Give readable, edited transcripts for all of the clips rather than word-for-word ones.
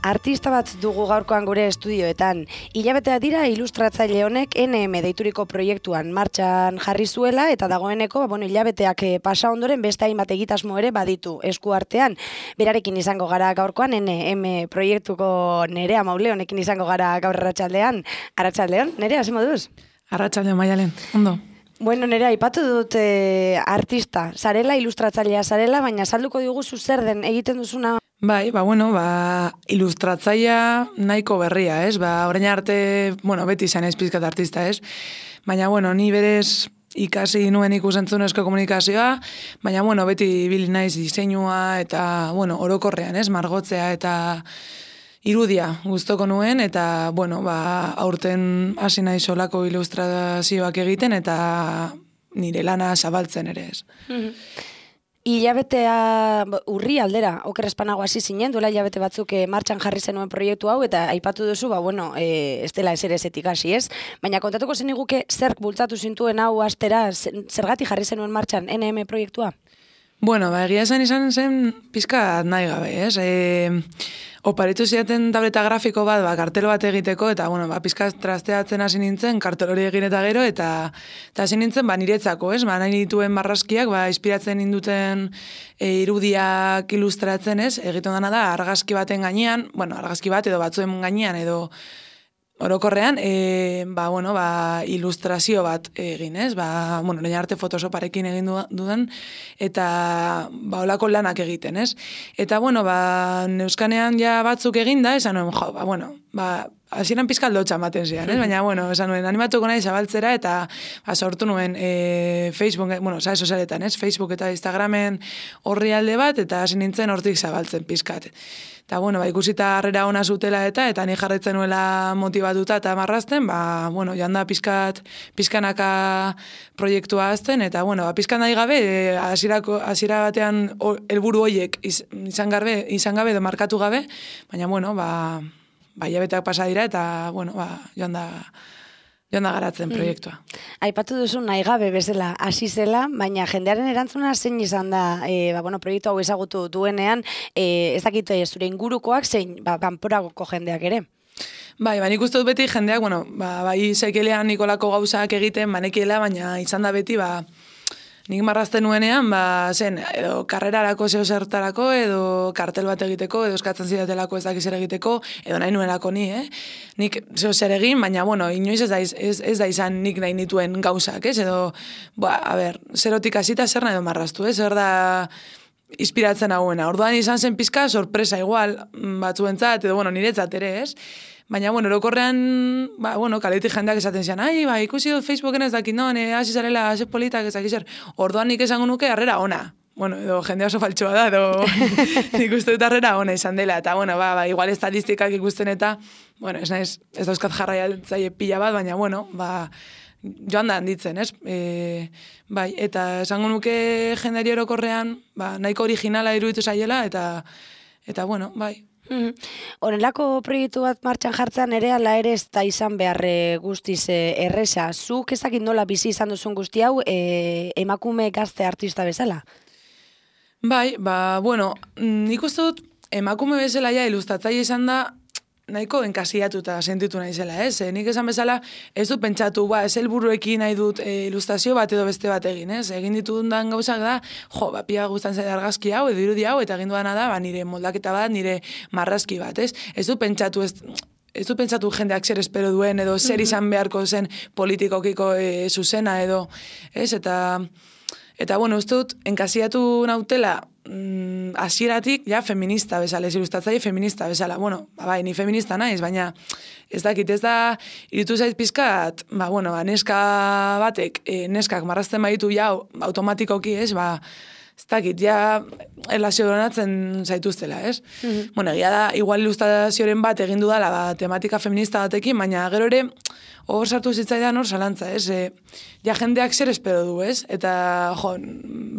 Artista bat dugu gaurkoan gure estudioetan. Hilabetea dira ilustratzaile honek NM deituriko proiektuan martxan jarri zuela eta dagoeneko hilabeteak pasa ondoren beste hainbat egitasmo ere baditu esku artean. Berarekin izango gara gaurkoan NM proiektuko Nerea Mauleonekin izango gara gaur arratsaldean. Arratsaldeon, Nerea, ze moduz? Arratsaldeon, Maialen, ondo. Bueno, Nerea, aipatu dut artista, zarela, ilustratzailea zarela, baina salduko diguzu zer den egiten duzuna. Bai, ilustratzailea nahiko berria, ez? Orain arte, beti izan ez pizkat artista, ez? Baina, ni berez ikasi nuen ikusentzunezko komunikazioa, baina, beti ibili naiz diseinua eta, orokorrean, ez? Margotzea eta irudia gustoko nuen, eta, aurten hasi naiz solako ilustrazioak egiten eta nire lana zabaltzen ere, ez? Hilabetea urri aldera, oker espanago hasi zinen, duela hilabete batzuk martxan jarri zenuen proiektu hau, eta aipatu duzu, ez dela ezerezetik hasi, ez? Baina kontatuko zeniguke zerk bultzatu zintuen hau astera, zergatik jarri zenuen martxan NM proiektua? Egia izan zen pizka nahi gabe, ez? Oparitu ziaten tableta grafiko bat, kartelo bat egiteko, eta, pizka trasteatzen hasi nintzen, kartelo hori egin eta gero, eta hasi nintzen, niretzako, ez? Nahi dituen marrazkiak, inspiratzen ninduten irudiak ilustratzen, ez? Egiten dana da, argazki baten gainean, argazki bat edo batzuen gainean, edo orokorrean, ilustrazio bat egin, ez? Lehen arte Photoshoparekin egin dudan, eta olako lanak egiten, ez? Eta, neuskanean ja batzuk egin da, esan nuen, hasieran pizka aldotxa ematen zian, ez? Baina, esan nuen, animatuko nahi zabaltzera, eta sortu nuen Facebook, sare sozialetan, ez? Facebook eta Instagramen horri alde bat, eta hasi nintzen hortik zabaltzen pizkat. Eta, ikusita harrera ona zutela eta ni jarretzen nuela motibatuta eta marrazten, joan da pizkanaka proiektua azten, eta, pizkan nahi gabe, hasiera batean helburu horiek izan gabe edo markatu gabe, baina, hilabeteak pasa dira, eta, joan da garatzen proiektua. Aipatu duzu nahi gabe bezala hasi zela, baina jendearen erantzuna zein izan da, proiektu hau ezagutu duenean, ez dakit zure ingurukoak zein, kanporako jendeak ere? Nik uste dut beti jendeak, bai sekelean Nikolako gauzak egiten, banekiela, baina izan da beti, nik marrazten nuenean, edo karrerarako zertarako, edo kartel bat egiteko, edo eskatzen zidatelako ez dakiz egiteko, edo nahi nuelako ni, Nik zer egin, baina, inoiz ez da izan nik nahi nituen gauzak, edo, zerotik hasita zer nahi do marraztu, zer da inspiratzen hauena. Orduan izan zen pizka sorpresa igual, batzuentzat, edo, niretzat ere, ez? Baina, orokorrean, kaletik jendeak esaten zian, ikusi dut Facebooken ez dakit, hasi zarela, hasi politak ez dakit zer. Orduan nik esango nuke harrera ona. Edo jende oso faltsua da, edo nik uste dut harrera ona izan dela. Eta, igual estadistikak ikusten eta, ez dauzkat jarraiatzaile pila bat, baina, joan da handitzen, ez? Eta esango nuke jendeari orokorrean, nahiko originala iruditu zaiela, eta, bai. Horrelako proiektu bat martxan jartzean ere ala ere ez da izan behar guztiz erresa. Zuk ez dakit nola bizi izan duzun guzti hau emakume gazte artista bezala? Nik uste dut emakume bezala ilustratzaile izan da nahiko enkasiatuta sentitu naizela, ez? Nik esan bezala ez dut pentsatu, ez helburuekin nahi dut ilustrazio bat edo beste bat egin, ez? Egin ditudan gauzak da, pia guztan zen argazki hau, edo irudi hau, eta egin dudana da, nire moldaketa bat, nire marrazki bat, ez? Ez dut pentsatu jendeak zer espero duen, edo zer izan beharko zen politikokiko zuzena, edo, ez? Eta, uste dut, enkasiatu nautela, hasieratik feminista bezala, ez ilustratzaile feminista bezala. Ni feminista naiz, baina ez dakit, ez da, iritu zait pizkat, neska batek, neskak marrazten baditu automatikoki, ez dakit, erlazio donatzen zaituztela, ez? Egia da, igual ilustrazioaren bat egin dudala, tematika feminista batekin, baina gero ere, hor sartu zitzaidan hor zalantza, ez? Jendeak zer espero du, ez? Eta,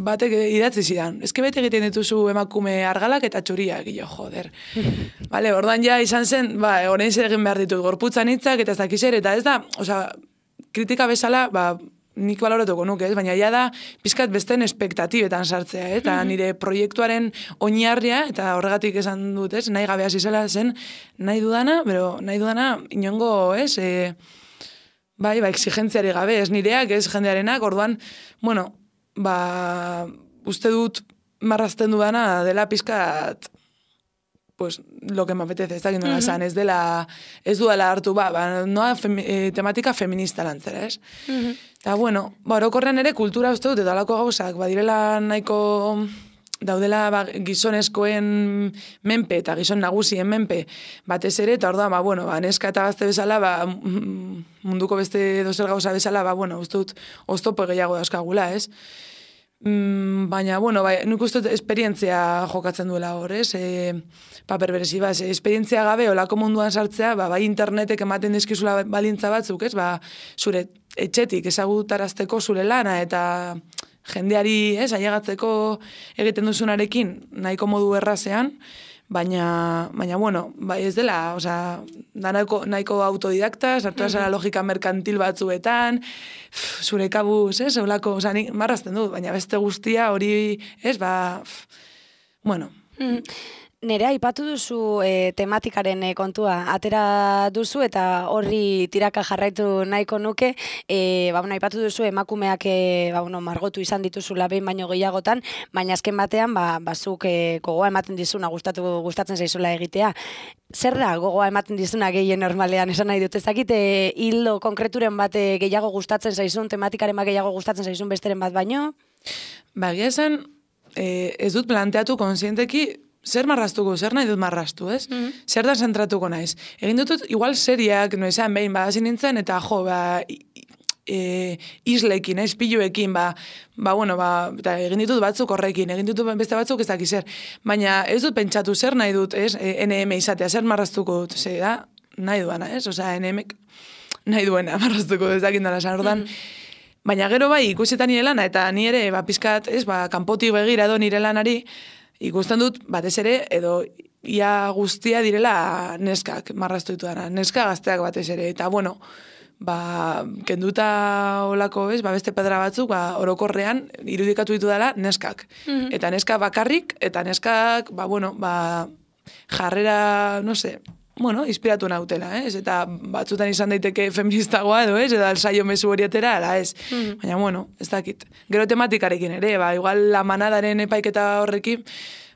batek idatzi zidan. Ezke bete egiten dituzu emakume argalak eta txuriak, joder. Orduan izan zen, orain zer egin behar ditut, gorputzan hitzak eta ez dakizer, eta ez da, kritika bezala, nik baloratuko nuke, ez? Baina ja da, pizkat besten espektatibetan sartzea, eta nire proiektuaren oinarria, eta horregatik esan dut, ez? Nahi gabe hasi zela zen, nahi dudana inongo, ez? Bai, exigentziari gabe, ez nireak, ez jendearenak, orduan, bueno, uste dut marrazten dudana dela pizkat, pues lo que me apetece, ez dakit nola esan, ez duela hartu, noa tematika feminista lantzera, ez? Eta, bueno, orokorrean ere kultura uste dut, eta alako gauzak, badirela nahiko daudela gizonezkoen menpe eta gizon nagusien menpe batez ere, eta orduan, neska eta gazte bezala, munduko beste dozer gauza bezala, uste dut oztopo gehiago dauzkagula, ez? Baina, nik uste esperientzia jokatzen duela hor, ez? Paper berezi, esperientzia gabe olako munduan sartzea, bai internetek ematen dizkizula balintza batzuk, ez? Zure etxetik ezagutarazteko zure lana eta jendeari, ez? Ailegatzeko egiten duzunarekin nahiko modu errazean, baina, ez dela, da nahiko autodidakta, sartu zara logika merkantil batzuetan, zure kabuz, ez, eulako, nik marrazten dut, baina beste guztia hori, ez, bueno. Nerea, aipatu duzu tematikaren kontua, atera duzu eta horri tiraka jarraitu nahiko nuke, aipatu duzu emakumeak margotu izan dituzula behin baino gehiagotan, baina azken batean, bazuk gogoa ematen dizuna gustatzen zaizula egitea. Zer da gogoa ematen dizuna gehien normalean, esan nahi dut, ezakite hildo konkreturen bat gehiago gustatzen zaizun, tematikaren bat gehiago gustatzen zaizun besteren bat baino? Egia esan, ez dut planteatu konsienteki, zer marraztuko, zer nahi dut marraztu, ez? Zer da zentratuko naiz. Egin dutut, igual seriak, noizean behin, hasi nintzen, eta islekin, piluekin, eta egin ditut batzuk horrekin, egin ditut beste batzuk ez dakiz zer. Baina ez dut pentsatu zer nahi dut, ez? NM izatea, zer marraztuko dut, zer da, nahi duana, ez? NM nahi duena marraztuko dut, ez dakit dara, ordan. Baina gero ikusetan nire lana, eta ni ere, pizkat, ez, kanpotik begira edo nire lanari, ikusten dut, batez ere, edo ia guztia direla neskak, marraztu ditu dara, neska gazteak batez ere, eta kenduta olako, ez, beste pedra batzuk, orokorrean, irudikatu ditu dara neskak. Eta neskak bakarrik, eta neskak, jarrera, no se, inspiratu nautela, ez, eta batzutan izan daiteke feministagoa edo, ez, edo alzaio mezu horietera, ez. Baina, ez dakit. Gero tematikarekin ere, igual la manadaren epaiketa horrekin,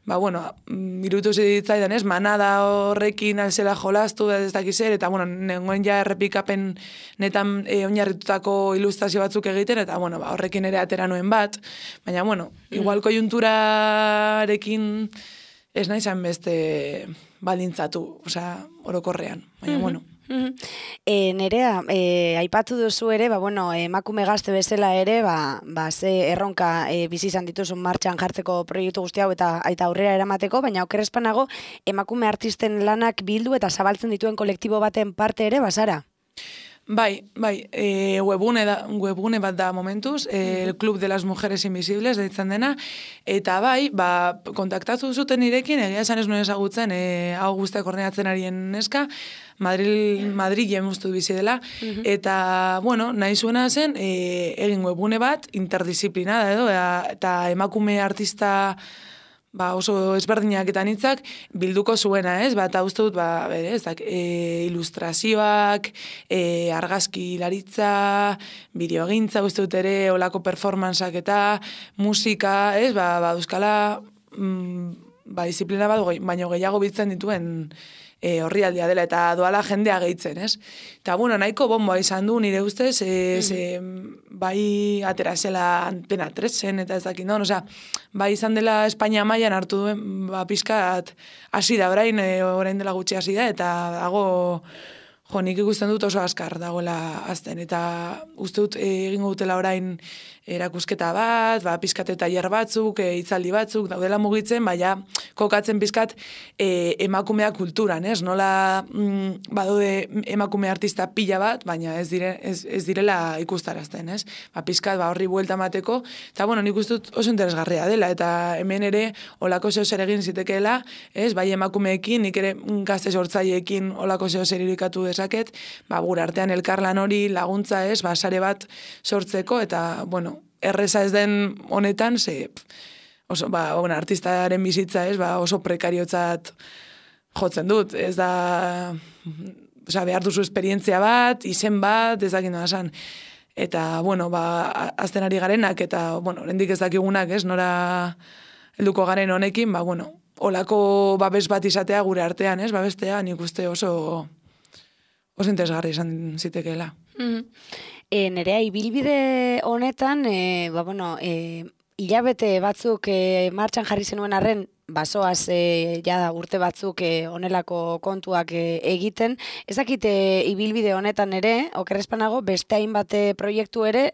irutu zitzaidan, ez, manada horrekin alzela jolastu, ez dakiz ere, eta, nengoen ja errepikapen netan oinarritutako ilustrazio batzuk egiten, eta, horrekin ere atera nuen bat, baina, igual koiunturarekin ez nahi zan beste balintzatu, orokorrean, baina, Nerea, aipatu duzu ere, emakume gazte bezala ere, ze erronka bizi izan dituzun martxan jartzeko proiektu guzti hau eta aurrera eramateko, baina okerrezpanago emakume artisten lanak bildu eta zabaltzen dituen kolektibo baten parte ere, bazara? Bai, webgune bat da momentuz, el Club de las Mujeres Invisibles deitzen dena, eta kontaktatu zuten nirekin, egia esan ez nuen ezagutzen, hau guztiak koordinatzen arien neska, Madrilen uste du bizi dela, eta, nahi zuena zen, egin webgune bat, interdisziplina edo, eta emakume artista oso ezberdinak eta nitzak bilduko zuena, ez? Eta uste dut, ilustrazioak, argazki laritza, bideogintza, uste dut ere, olako performanceak eta musika, ez? Euskala, disiplina bat, baino gehiago biltzen dituen horrialdea dela, eta doala jendea gehitzen, ez? Eta, nahiko bomboa izan du, nire ustez, bai atera zela Antena 3-en, eta ez dakit, bai izan dela Espainia mailan hartu duen, pizkat hasi da, orain dela gutxi hasi da, eta dago, nik ikusten dut oso azkar dagoela azten, eta uste dut egingo dutela orain erakusketa bat, pizkat eta tailer batzuk, hitzaldi batzuk, daudela mugitzen, kokatzen pizkat emakumea kulturan, ez? Nola badaude emakume artista pila bat, baina ez direla ikustarazten, ez? Pizkat horri buelta mateko, eta nik uste dut oso interesgarria dela, eta hemen ere olako zehozer egin zitekeela, ez? Bai emakumeekin, nik ere gazte sortzaileekin olako zehozer irikatu dezaket, gure artean elkarlan hori laguntza ez, sare bat sortzeko, eta, bueno, erreza ez den honetan, oso, artistaren bizitza ez, oso prekariotzat jotzen dut, ez da, behar duzu esperientzia bat, izen bat, ez dakit nola esan. Eta, bueno, azten ari garenak, eta, bueno, oraindik ez dakigunak, ez, nora helduko garen honekin, olako babes bat izatea gure artean, ez, babestea, nik uste oso interesgarri izan zitekeela. Nerea, ibilbide honetan, hilabete batzuk martxan jarri zenuen arren, basoaz urte batzuk honelako kontuak egiten. Ez dakit ibilbide honetan ere, okerrezpanago, beste hainbat proiektu ere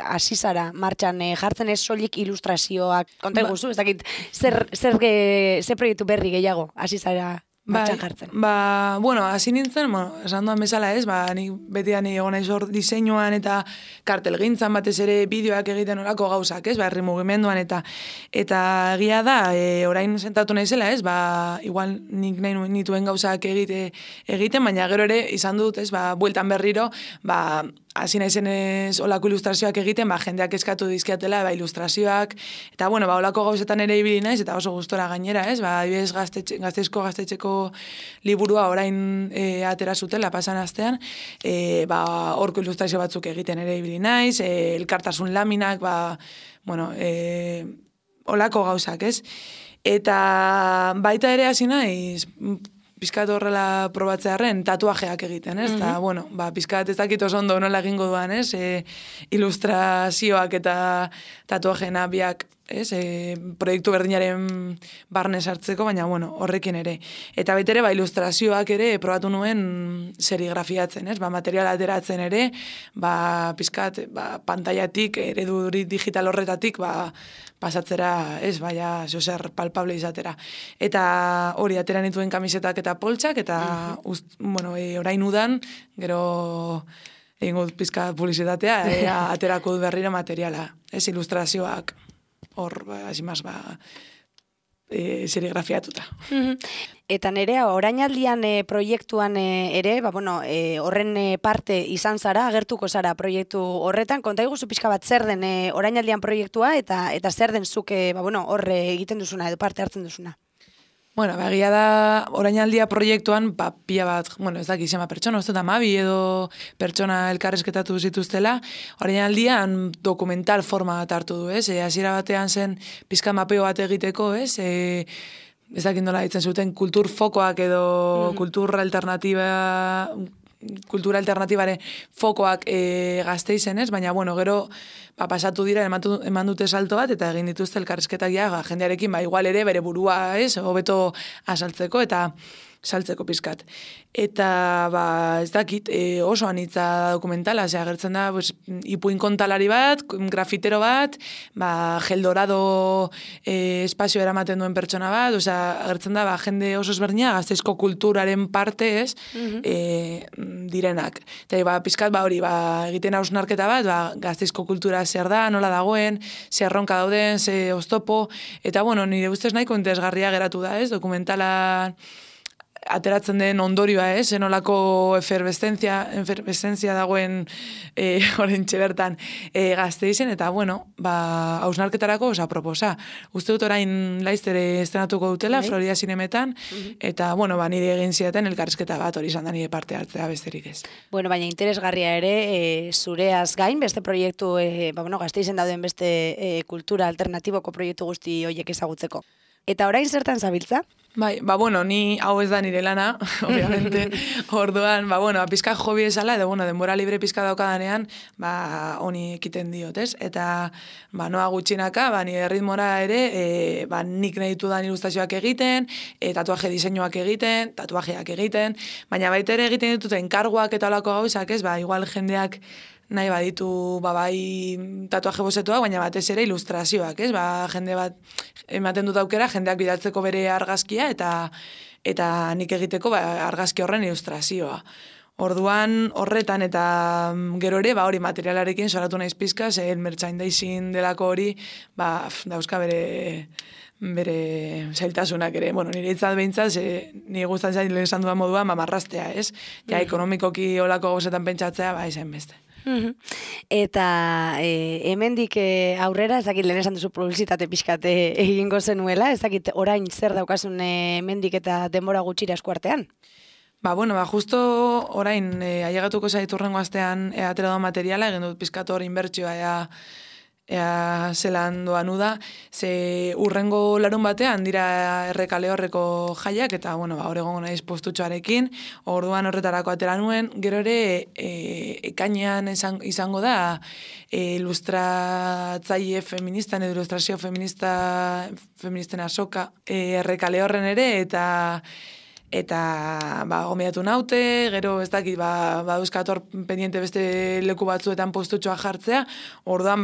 hasi zara martxan jartzen, ez soilik ilustrazioak konta iguzu, ez dakit zer proiektu berri gehiago hasi zara martxan jartzen. Bueno, hasi nintzen, esan duan bezala ez, nik betian egon naiz hor diseinuan eta kartelgintzan batez ere bideoak egiten orako gauzak, ez, herri mugimenduan eta egia da, orain sentatu naizela, ez, igual nik nahi nituen gauzak egiten, baina gero ere izan dut, ez, bueltan berriro, hasi naizenez olako ilustrazioak egiten, jendeak eskatu dizkiatela, ilustrazioak, eta, bueno, olako gauzetan ere ibili naiz, eta oso gustora gainera, ez, adibidez gaztetxeko liburua orain atera zutela pasan astean, horko ilustrazio batzuk egiten ere ibili naiz, elkartasun laminak, olako gauzak, ez? Eta baita ere hasi naiz, pizkat horrela probatzearen tatuajeak egiten, ez? Eta, bueno, pizkat ez dakit oso ondo nola egingo duan, ez? Ilustrazioak eta tatuajena biak, ez? Proiektu berdinaren barne sartzeko, baina, bueno, horrekin ere. Eta baita ere, ilustrazioak ere probatu nuen serigrafiatzen, ez? Material ateratzen ere, pizkat, pantailatik, eredu digital horretatik, pasatzera, ez, zozer palpable izatera. Eta hori atera nituen kamisetak eta poltsak, eta, orain udan, gero egingo pizka publizitatea, aterako du berriro materiala, ez, ilustrazioak, hor, asimaz, serigrafiatuta. Eta Nerea, orainaldian proiektuan ere, horren parte izan zara, agertuko zara proiektu horretan, konta iguzu pixka bat zer den orainaldian proiektua, eta zer den zuk horre egiten duzuna, edo parte hartzen duzuna? Bueno, egia da, orainaldia proiektuan, pila bat, ez dakit zema pertsona, uste da mabi edo pertsona elkarrezketatu zituztela, orainaldian dokumental forma bat hartu du, ez? Hasiera batean zen pizka mapeo bat egiteko, ez? Ez dakit nola ditzen zuten kultur fokoak edo kultura alternatibare fokoak Gasteizen, ez? Baina, gero pasatu dira, eman dute salto bat, eta egin dituzte elkarrizketak jendearekin, igual ere bere burua, ez? Hobeto asaltzeko, eta saltzeko pizkat. Eta, ez dakit, oso anitza dokumentala, agertzen da, ipuin kontalari bat, grafitero bat, gel dorado espazio eramaten duen pertsona bat, agertzen da, jende oso ezberdina, Gasteizko kulturaren parte, ez, direnak. Eta, pizkat, hori, egiten hausnarketa bat, Gasteizko kultura zer da, nola dagoen, zer erronka dauden, zer oztopo, eta, nire ustez nahiko interesgarria geratu da, ez, dokumentala ateratzen den ondorioa, zenolako efervescentzia dagoen orentxe bertan Gasteizen, eta, hausnarketarako proposa. Uste dut orain laiztere estrenatuko dutela, Florida Zinemetan, eta, nire egin ziaten elkarrizketa bat hori izan da nire parte hartzea besterik ez. Baina interesgarria ere, zureaz gain, beste proiektu, Gasteizen dauden beste kultura alternatiboko proiektu guzti horiek ezagutzeko. Eta orain zertan zabiltza? Ni hau ez da nire lana, obviamente, orduan, pizka hobi esala, edo, denbora libre pizka daukadanean, honi ekiten diot, ez? Eta, noa gutxinaka, nire ritmora ere, nik nahi ditudan ilustrazioak egiten, tatuaje diseinuak egiten, tatuajeak egiten, baina baita ere egiten ditut enkarguak eta olako gauzak, ez? Igual jendeak nahi baditu bai tatuaje bozetoak, baina batez ere ilustrazioak, ez? Jende bat ematen dut aukera, jendeak bidaltzeko bere argazkia eta nik egiteko argazki horren ilustrazioa. Orduan horretan eta gero ere, hori materialarekin soratu naiz pizka, ze merchandising delako hori, dauzka bere zailtasunak ere. Bueno, nire itzat behintzat, nire guztan zain lehen esan dudan moduan, marraztea, ez? Ja, ekonomikoki olako gauzetan pentsatzea, izan beste. Eta hemendik aurrera, ezakit lehen esan duzu publizitate pixkate egingo zenuela, ezakit orain zer daukasun hemendik eta denbora gutxira eskuartean? Justo orain ailegatuko zaitu urrengo astean atera da materiala, egin dut pizkatu hor inbertsioa ea zelan doan uda, ze urrengo larun batean dira Errekale horreko jaiak, eta hor egongo naiz postutxoarekin, orduan horretarako atera nuen, gero ere ekainean izango da ilustratzaile feministan edo ilustrazio feministen azoka Errekale horren ere, eta gomendatu naute, gero ez dakit, dauzkator pendiente beste leku batzuetan postutxoa jartzea, orduan,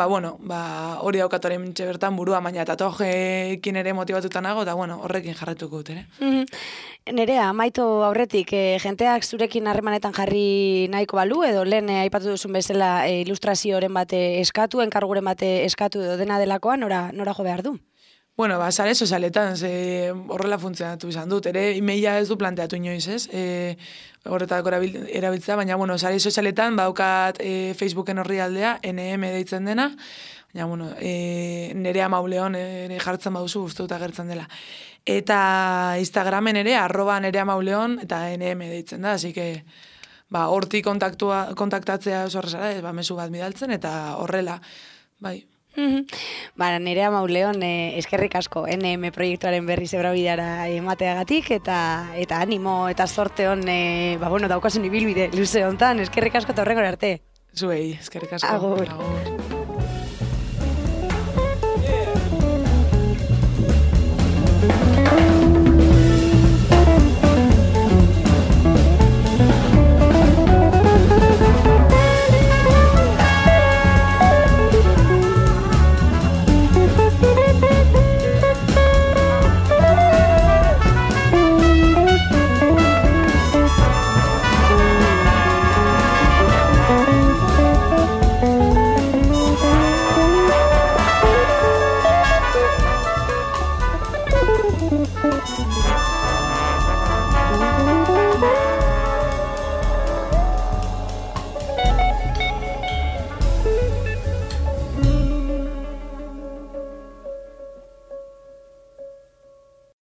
hori daukatoren bertan burua, baina tatuajeekin ere motibatuta nago, eta horrekin jarretuko dut, ere. Nerea, amaitu aurretik, jenteak zurekin harremanetan jarri nahiko balu, edo lehen aipatu duzun bezala ilustrazioren bate eskatu, enkarguren bate eskatu edo dena delakoan, nora jo behar du? Sare sozialetan, horrela funtzionatu izan dut, ere emaila ez du planteatu inoiz, ez? Horretako erabiltzea, baina, sare sozialetan, baukat Facebooken horri aldea, NM deitzen dena, baina, Nerea Mauleon ere jartzen baduzu guztuta gertzen dela. Eta Instagramen ere, @Nerea Mauleon, eta NM deitzen da, así que, hortik kontaktatzea oso horrezara, mezu bat bidaltzen, eta horrela, bai. Nerea Mauleon, eskerrik asko NM proiektuaren berri zebrabidara emateagatik, eta animo eta sorte hon, daukasun ibilbide luze hontan, eskerrik asko eta horrengora arte. Zuei, eskerrik asko. Agur.